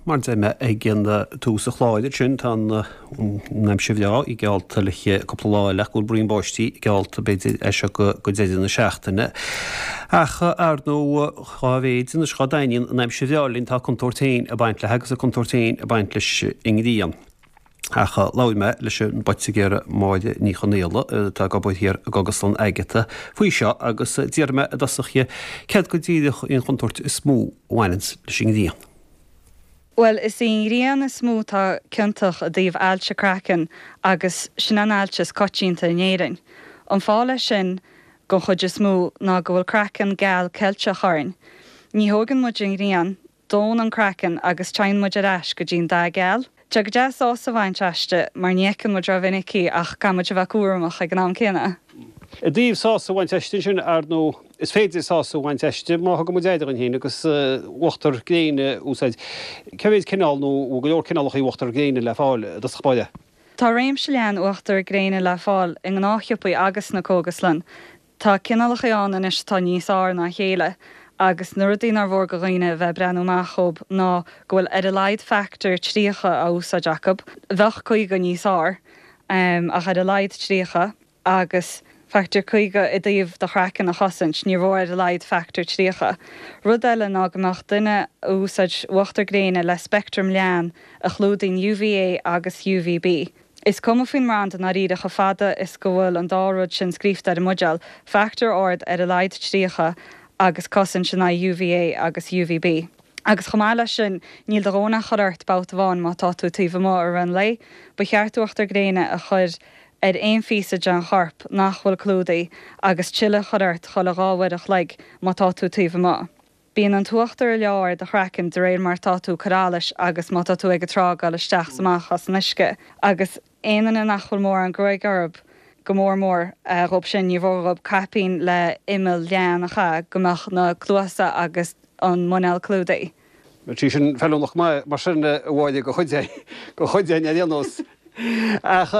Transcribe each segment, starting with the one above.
Mar a deir mé ag an tús an chláir ansin, tá an aimsir bhreá í geallta le cúpla lá eile ach go bhfuil braon báistí geallta b'fhéidir as seo go deireadh na seachtaine. Ach ar ndóigh, dhá mhéid anois dhá dtaitníonn an aimsir bhreá linn tá a contúirt féin ag baint léi agus a contúirt féin ag baint leis an ngrian. Ach labhair mé leis an bpoitigéir Máire Ní Chonaola, atá ag obair thiar i gCógaslann Agatha, faoi seo agus d'iarr mé i dtosach dhi céard go díreach í an chontúirt is mó a bhaineanns leis an ngrian. Bhuel, is í an ghrian is mó atá ciontach i dtaobh ailse craicinn agus sin an ailse is coitianta in Éirinn. An fáth leis sin, don chuid is mó, ná go bhfuil craiceann geal ceilteach orainn. Ní thóigeann muid an ghrian, dónn an craiceann agus téann muid ar ais go dtí'n dath geal. Tá go deas sásamh a bhaint aisti mar ní fheiceann muid rómhinic í ach caithfidh muid a bheith cúramach ag an am céanna. I dtaobh sásamh a bhaint aisti ansin, ar ndóigh, is féidir sásamh a bhaint aisti má thugann muid aire dhúinn féin agus uachtar gréine a úsáid. Cé mhéid cineál nó an bhfuil go leor cineálacha uachtar gréine le fáil i dtosach báire? Tá réimse leathan uachtar gréine le fáil i ngnáthshiopaí agus sna cógaslann. Tá cineálacha ann anois atá níos fearr ná a chéile agus na rudaí nár mhór go dhaoine a bheith ag breathnú amach dhób ná go bhfuil ar a laghad factor 30 á úsáid acu, bheadh 50 níos fearr ach ar a laghad 30, agus factor 50 i dtaobh do chraiceann a chosaint, níor mhór ar a laghad factor 30. Rud eile ná go mbeadh duine a úsáid uachtar gréine le speictream leathan a chlúdaíonn UVA agus UVB. Is cuma faoin mbranda i ndáiríre chomh fada is go bhfuil an dá rud sin scríofa ar an mbuidéal, factor ard ar a laghad 30 agus cosaint in aghaidh UVA agus UVB. Agus chomh maith leis sin, níl do dhóthain a chur ort babhta amháin má tá tú taobh amuigh i rith an lae. Ba cheart uachtar gréine a chur ar aon phíosa den chorp nach bhfuil clúdaithe agus tuilleadh a chur ort chuile 2 uair a chloig má tá tú taobh amuigh. Bíonn an t-uachtar ag leá ar do chraiceann de réir mar atá tú ag cur allais agus má tá tú ag an trá ag dul isteach 's amach as an uisce. Agus aon duine nach bhfuil mórán gruaig orthub, go mór mór dhób sin, níor mhór dhób caipín le imeall leathan a chaitheamh go mbeadh na cluasa agus an muineál clúdaithe. Bheadh sí sin feiliúnach go maith mar sin, a Mháire, do chuid do chuid againn ar aon nós. Ach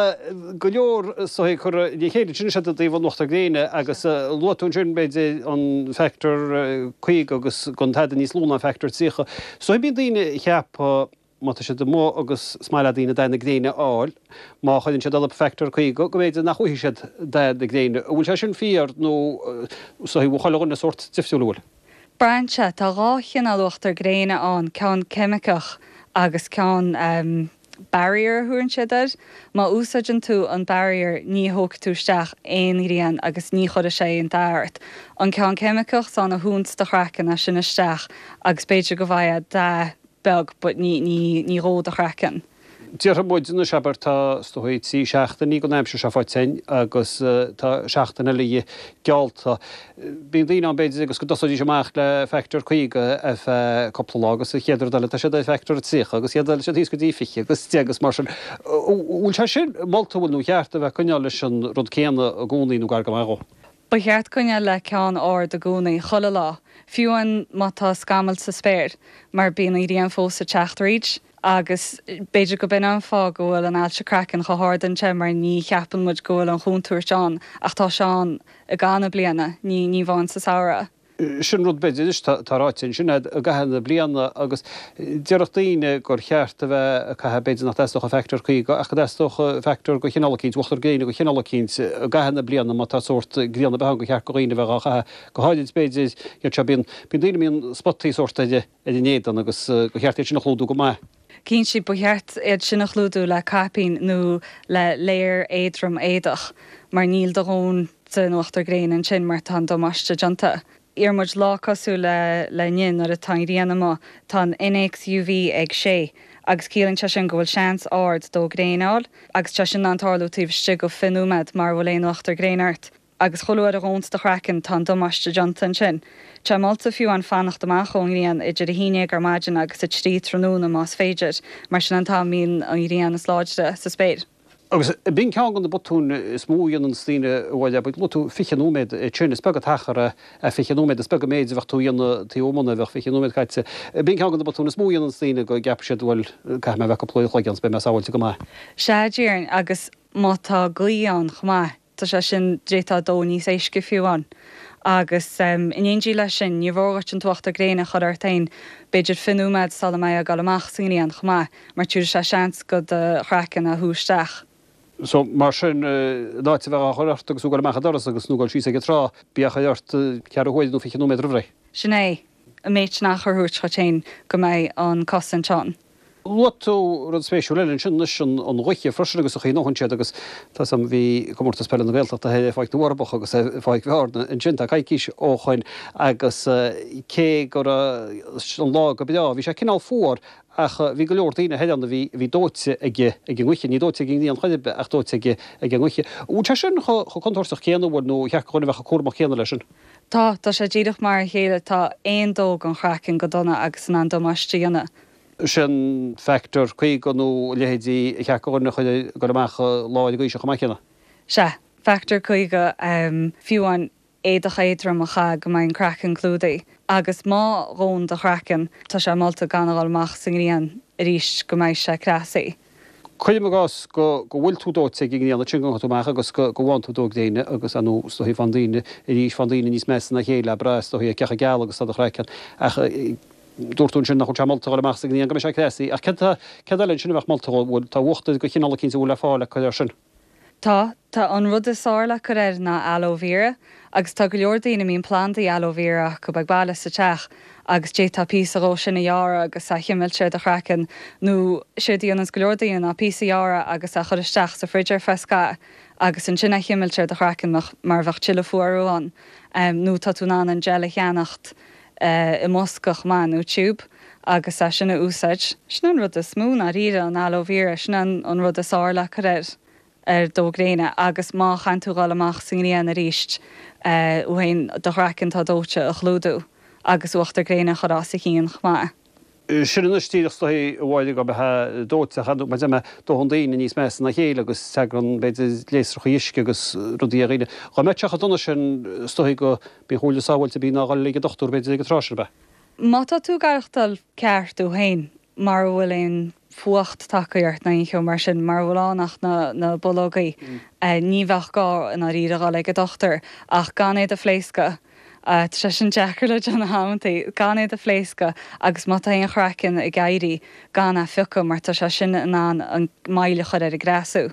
go leor is dóigh curtha le chéile ansin is ea i dtaobh an uachtar gréine agus luaigh tú ansin b'fhéidir an factor 50 agus gan tada níos lú ná an factor 30. Is dóigh bíonn daoine a cheapadh má tá siad amuigh agus is maith le daoine dath na gréine a fháil, má chuireann siad orthu factor 50 go mb'fhéidir nach bhfaighidh siad dath na gréine. An bhfuil sé sin fíor nó is dóigh bhfuil chuile dhuine sórt difriúil an bhfuil? Braitheann sé. Tá dhá chineál uachtar gréine ann, ceann ceimiceach agus ceann barrier a thabharann siad air. Má úsáideann tú an barrier ní thógfaidh tú isteach aon ghrian agus ní chuirfidh sé aon dath ort. An ceann ceimiceach, tá ann a shúnns do chraiceann as sin isteach agus b'fhéidir go bhfaighfeá dath beag but ní, ní, ní dhódh do chraiceann. Déarfaidh muid anois, abair, tá, is dóigh, 3 seachtainí den aimsir seo faighte againn agus tá seachtain eile geallta. Bíonn daoine ann, b'fhéidir, agus go dtosóidís amach le factor 50 ar feadh cúpla lá agus an chéad rud eile tá siad ar factor 30 agus chéad eile siad thíos go dtí 20 agus 10 agus mar sin. An bhfuil sé sin molta, an bhfuil, nó cheart a bheith ag coinneáil leis an rud céanna i gcónaí nó gar go maith dhó? Ba cheart coinneáil le ceann ard i gcónaí, chuile lá, fiú amháin má tá scamaill sa spéir, mar bíonn an ghrian fós ag teacht thríd. Agus b'fhéidir go b'in an fáth go bhfuil an ailse craicinn chomh hard anseo, mar ní cheapann muid go bhfuil an chontúirt ann, ach tá sé ann i gcaitheamh na bliana, ní ní amháin sa samhradh. Sin rud b'fhéidir anois, tá ráite ansin agat i gcaitheamh na bliana agus déarfadh daoine gur cheart a bheith ag caitheamh, b'fhéidir nach dteastódh an factor 50 ach go dteastódh factor de chineál eicínt, uachtar gréine de chineál eicínt i gcaitheamh na bliana má tá sórt grian ar bith ann gur cheart do dhaoine a bheith dhá chaitheamh, go háirid b'fhéidir iad seo, bíonn daoine a mbíonn spotaí sórt ar a n-éadan agus gur cheart iad sin a chlúdú go maith. Cinnte, ba cheart iad sin a chlúdú le caipín nó le layer éadrom éadach mar níl do dhóthain den uachtar gréine ansin mar tá an damáiste déanta. Iarr muid lá cosúil le le inniu nuair atá an ghrian amuigh, tá an innéacs UV ag 6 agus ciallaíonn sé sin go bhfuil seans ard dó gréin a fháil agus tá sé sin in ann tarlú taobh istigh de 20 nóiméad mara bhfuil aon uachtar gréine ort. Agus chuile uair a dhónns do chraiceann, tá an damáiste déanta ansin. Tá sé molta fiú amháin fanacht amach ón ngrian idir 11 ar maidin agus 3 tráthnóna más féidir, mar sin an t-am a mbíonn an ghrian is láidre sa spéir. Agus b'in ceann de na botúin is mó a dhéananns daoine a Mháire, abair, luaigh tú 20 nóiméad ansin, is beag an t-achar é 20 nóiméad, is beag an méid a bheadh tú a dhéanamh taobh amuigh nuair a bheadh 20 nóiméad caite. B'in ceann de na botúin is mó a dhéananns daoine go gceapann siad, bhuel, caithfidh mé a bheith cúpla uair a chloig ann 's beidh mé sábháilte go maith. Sea, déarfainn, agus má tá gaoth ann chomh maith, Tá sé sin, d'fhéadfá dó níos éisce fiú amháin. Agus in éindí leis sin, ní mhór dhuit an t-uachtar gréine a chur ort féin, b'fhéidir 20 nóiméad sula mbeifeá ag dul amach sa ngrian chomh maith, mar tabharfaidh sé seans go do chraiceann a shú isteach. So, mar sin, in áit a bheith á chur ort agus tú ag dul amach an doras agus nó ag dul síos ag an trá, bí á chur ort ceathrú huaire nó 20 nóiméad roimh ré. Sin é. An méid sin achair a thabhairt dhuit féin go mbeidh an cosaint ann. Luaigh tú rud spéisiúil eile ansin anois, an ghaoth freisin agus an chaoi a ndónn siad agus tá 'fhios a'm bhí Comórtas Peile na Gaeltachta thoir ar Pháirc na bhForbacha agus ar Pháirc Bhearna ansin tá coicís ó shoin agus cé go raibh an lá go breá bhí sé cineál fuar ach bhí go leor daoine thoir ann a bhí a bhí dóite ag ag an ngaoth, ní dóite ag an ngrian chor ar bith ach dóite ag ag an ngaoth. Bhfuil sé sin chomh chomh contúirteach céanna bhfuil nó ar cheart go dhuine a bheith chomh cúramach céanna leis sin? Tá, tá sé díreach mar a chéile, tá aon dó den chraiceann go dona agus in ann damáiste a dhéanamh. Sin factor 50 nó a leithéidí ar cheart go dhuine a chur ag dul amach lá ar an gcaoi seo chomh maith céanna. Sea, factor 50, fiú amháin éadach éadrom a chaitheamh go mbeidh an craiceann clúdaithe. Agus má dhónn do chraiceann, tá sé molta gan a dhul amach sa ngrian arís go mbeidh sé cneasaithe. Cuirim i gcás go go bhfuil tú dóite ag an ngrian ansin go ngabhann tú amach agus go go bhfaigheann tú dó gréine agus ar ndóigh is dóichí faigheann daoine arís faigheann daoine níos measa ná a chéile ag brath is dóichí ar cé chomh geal agus atá do chraiceann ach dúirt tú ansin nach bhfuil sé molta dhul amach sa ngrian go mbeidh sé cneasaithe ach céard céard eile ansin a bheadh molta dhó bhfuil tá uachtar de chineál eicínt a bhfuil le fáil le cur air sin? Tá. Tá an rud is fearr le cur air ná aloe vera agus tá go leor daoine a mbíonn plandaí aloe vera acu ag baile sa teach agus d'fhéadfá píosa dhó sin a ghearradh agus a chimilt ar do chraiceann nó séard a dhéananns go leor daoine ná píosa a ghearradh agus a chur isteach sa fridge ar feadh scaitheamh agus ansin a chimilt ar do chraiceann mar a bheadh tuilleadh fuarú ann nó tá tú in ann an gel a cheannacht i mbosca chomh maith nó tube agus é sin a úsáid. Sin an rud is mó i ndáiríre, an aloe vera, sin an rud is fearr le cur air ar dó gréine agus má chaitheann tú dhul amach sa ngrian arís thú féin do chraiceann atá dóite a chlúdú agus uachtar gréine a chur os a chionn chomh maith. Sin anois díreach is dóichí a Mháire go mbeifeá dóite ach mar a deir mé dónn daoine níos measa ná a chéile agus tagann b'fhéidir léasrachaí uisce agus rudaí ar dhaoine. Dhá mbeadh sé chomh dona sin is dóichí go b'í an chomhairle sábháilte ab í ná dhul ag an dochtúir b'fhéidir ag an tráth sin ab ea? Má tá tú ag aireachtáil ceart thú féin, mara bhfuil aon fuacht tagtha ort ná aon cheo mar sin, mara bhfuil ann ach na bulógaí, ní bheadh gá i ndáiríre dhul ag an dochtúir ach gan iad a phléascadh. Tá sé sin deacair le déanamh amantaí, gan iad a phléascadh agus má tá aon chraiceann ag éirí, gan é a phiocadh mar tá sé sin in ann an moill a chur ar an gcneasú.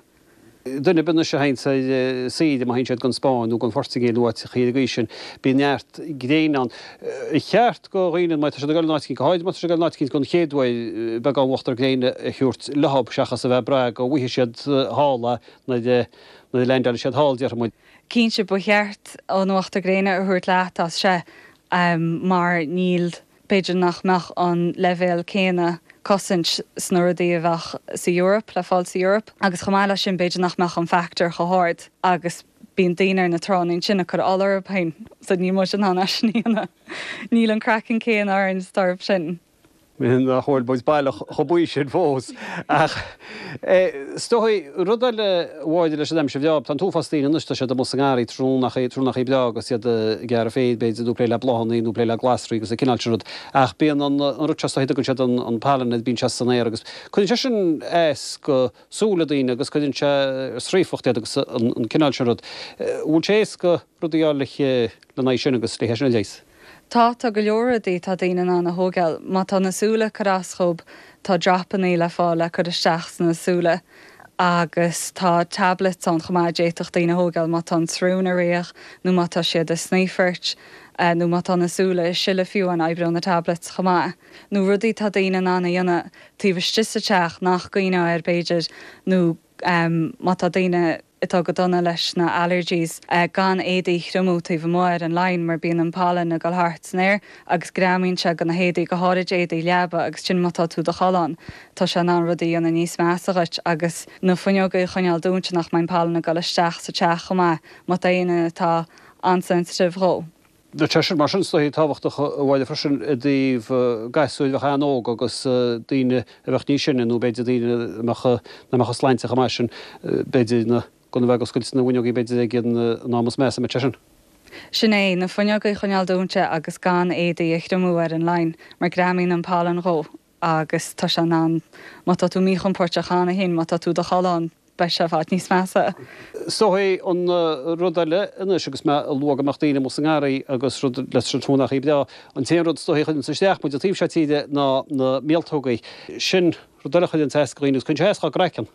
Duine ar bith anois a théanns ar saoire, má théann siad gon Spáinn nó gon Phortaingéil nó áiteachaí ar an gcaoi sin, bíonn neart gréine ann. Ar cheart go dhaoine, má tá siad ag dul in áit eicínt, go háirid má tá siad ag dul in áit eicínt gon chéad uair, beagán uachtar gréine a thabhairt leothab seachas a bheith ag brath go bhfaighidh siad thall é nuair a leaindeálfaidh siad thall, déarfaidh muid. Cinnte, ba cheart an uachtar gréine a thabhairt leat as sea, mar níl, b'fhéidir nach mbeadh an leibhéal céanna cosaint sna rudaí a bheadh sa Eoraip, le fáil sa Eoraip, agus chomh maith leis sin b'fhéidir nach mbeadh an factor chomh hard agus bíonn daoine ar na tránna ansin ag cur ola orthu féin, so níl muid in ann é sin a dhéanamh. Níl an craiceann céanna orainn is atá orthu sin. Nach bhfuil muid baileach chomh buí sin fós. Ach is dóigh, rud eile a Mháire leis an aimsir bhreá, tá an t-uafás daoine anois, tá siad amuigh sa ngarraí tráthnónachaí, tráthnónachaí breá agus iad ag gearradh féir, b'fhéidir, nó ag plé le bláthanna nó ag plé le glasraí agus an cineál sin rud. Ach bíonn an rud seo, is dóigh, a dtugann siad an pollen air, bíonn sé san aer agus cuireann sé sin as go súile daoine agus cuireann sé ar sraofacht iad agus an cineál sin rud. Bhfuil sé éasca rudaí a fháil lena aghaidh sin agus le hé sin a leigheas? Tá, tá go leor rudaí atá daoine in ann a thógáil. Má tá na súile ag cur as dhób, tá dropannaí le fáil le cur isteach sna súile agus tá tablets ann chomh maith a d'fhéadfadh daoine a thógáil má tá an tsrón ag ritheadh nó má tá siad ag snaoifairt nó má tá na súile ag sileadh fiú amháin oibreoidh na tablets chomh maith. Nó rudaí atá daoine in ann a dhéanamh taobh istigh sa teach nach gcuimhneofá air b'fhéidir nó má tá daoine atá go dona leis na allergies, gan éadaí a thriomú taobh amuigh ar an line mar bíonn an pollen ag dul thart san aer agus greamaíonn sé go na héadaí, go háirid éadaí leaba agus sin má tá tú i do chodladh ann tá sé in ann rudaí a dhéanamh níos measa dhuit agus na fuinneogaí a choinneáil dúnta nach mbeidh an pollen ag dul isteach sa teach chomh maith má tá éinne atá an-sensitive dhó. Tá sé sin mar sin is dóichí tábhachtach a Mháire freisin i dtaobh gasúir a bheadh an-óg agus daoine a bheadh níos sine nó b'fhéidir daoine a mbeadh, nach mbeadh a sláinte chomh maith sin, b'fhéidir na, gan a bheith ag oscailt na bhfuinneogaí b'fhéidir ag an am is measa, an mbeadh sé sin. Sin é, na fuinneogaí a choinneáil dúnta agus gan éadaí a thriomú ar an line mar greamaíonn an pollen dhó agus tá sé in ann, má tá tú míchompóirteach cheana féin, má tá tú i do chodladh ann. beidh sé i bhfad níos measa. Is dóichí an rud eile anois agus mé ag lua go mbeadh daoine amuigh sa ngarraí agus rud leis an tráthnóna breá, an t-aon rud is dóichí a chuireanns isteach muid an taobh seo tíre ná na míoltógaí. Sin rud eile a chuireanns as do dhaoine agus cuireann sé as dhá gcraiceann.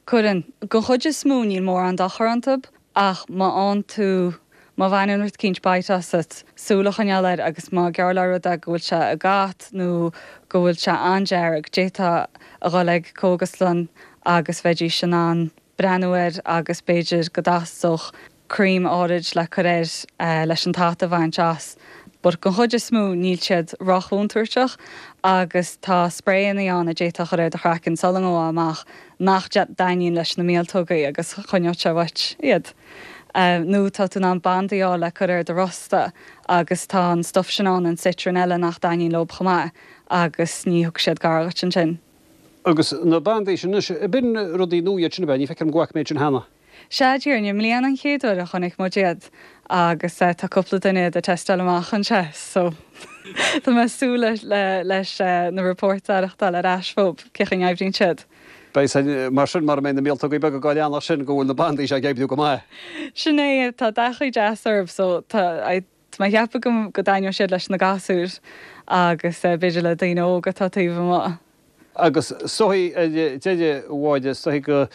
Cuireann. Don chuid is mó níl mórán dochar iontub ach má fhaigheann tú, má bhaineann rud eicínt bite asat, súil a choinneáil air agus má geall le rud é go bhfuil sé ag at nó go bhfuil sé an-dearg, d'fhéadfá a dhul ag cógaslann agus bheidís in ann breathnú air agus b'fhéidir go dteastódh cream áirid le cur air leis an t-at a bhaint as. But don chuid is mó níl siad rochontúirteach agus tá sprayannaí ann a d'fhéadfá a chur ar do chraiceann sula ngabhfá amach nach dtaitníonn leis na míoltógaí agus choinneodh sé uait iad. Nó tá tú in ann bandaí a fháil le cur ar do rosta agus tá an stuif sin ann, an citronella nach dtaitníonn leob chomh maith agus ní thiocfaidh siad gar dhuit ansin. Agus na bandaí sin anois, b'in rudaí nua iad sin ab ea? Ní feictear dom go bhfaca mé iad sin cheana. Sea, déarfainn, i mbliana an chéad uair a chonaic muid iad agus tá cúpla duine iad ag teisteáil amach anseo so tá mé ag súil leis na reports a aireachtáil ar ais fúb, cén chaoi a n-oibríonn siad. Beidh a fhios mar sin mara mbeidh na míoltógaí beaga dhá leanacht sin go bhfuil na bandaí seo ag oibriú go maith. Sin é, tá dath deas orthu so tá mé ag ceapadh go dtaitneoidh siad leis na gasúir agus b'fhéidir le daoine óga atá taobh amuigh. Agus is dóichí ar deireadh, a Mháire, is dóichí go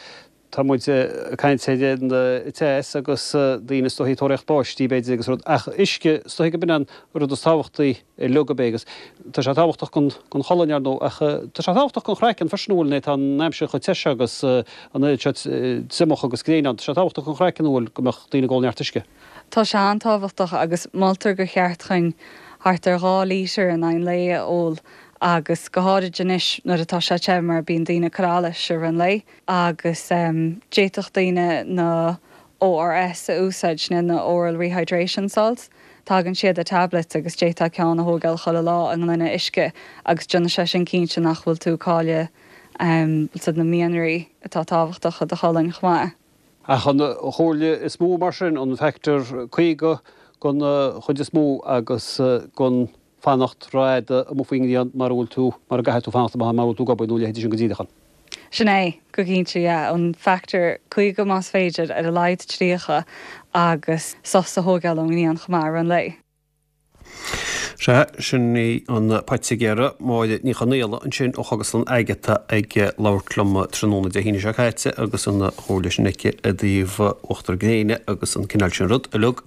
Tá muid ag caint ar an teas agus daoine is dóichí ag tóraíocht báistí b'fhéidir agus rud ach uisce is dóichí go b'in an rud is tábhachtaí uilig ab é agus tá sé tábhachtach don don cholainn ar ndóigh ach tá sé tábhachtach don chraiceann freisin an bhfuil nuair atá an aimsir chomh te seo agus an oiread seo triomach agus gréin ann tá sé tábhachtach don chraiceann an bhfuil go mbeadh daoine ag ól neart uisce. Tá sé an-tábhachtach agus moltar gur cheart chuinn thart ar 2 lítear in aghaidh an lae a ól agus go háirid anois nuair atá sé te mar bíonn daoine ag cur allais i rith an lae. agus d'fhéadfadh daoine na ORS a úsáid, sin na Oral Rehydration Salts. Tagann siad i tablets agus d'fhéadfá ceann a thógáil chuile lá i ngloine uisce agus déanfaidh sé sin cinnte nach bhfuil tú ag cailleadh bhfuil na mianraí atá tábhachtach do do cholainn chomh maith. Ach an chomhairle is mó mar sin, an factor 50 don chuid is mó agus gan fanacht rófhada amuigh faoin ngrian mara bhfuil tú, mara gcaithfidh tú fanacht amach mara bhfuil tú ag obair nó a leithéidí sin go díreach ann. Sin é, go cinnte, yeah. An factor 50 más féidir, ar a laghad 30 agus sos a thógáil ón ngrian chomh maith i rith an lae. Sea, sin í an poitigéir, Máire Ní Chonaola ansin ó Chógaslann Agatha ag labhairt liom tráthnóna Dé hAoine seo caite agus an chomhairle sin aici i dtaobh uachtar gréine agus an cineál sin rud uilig.